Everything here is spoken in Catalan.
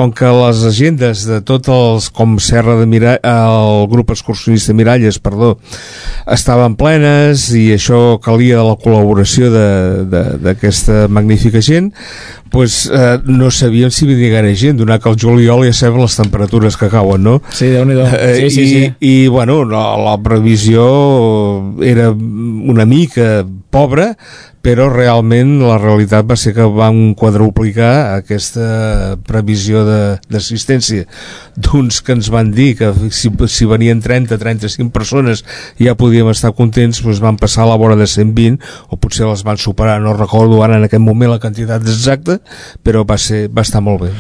com que les agendes de tots els, com Serra de el grup excursionista Miralles, perdó, estaven plenes i això calia la col·laboració d'aquesta magnífica gent, pues, no sabíem si vindria gaire gent, donat que el juliol ja sabem les temperatures que cauen, no? Sí, Déu-n'hi-do. Sí. I bueno, la previsió era una mica pobra, però realment la realitat va ser que vam quadruplicar aquesta previsió d'assistència d'uns que ens van dir que si venien 30-35 persones ja podíem estar contents, doncs van passar a la vora de 120 o potser les van superar, no recordo ara en aquest moment la quantitat exacta, però va estar molt bé.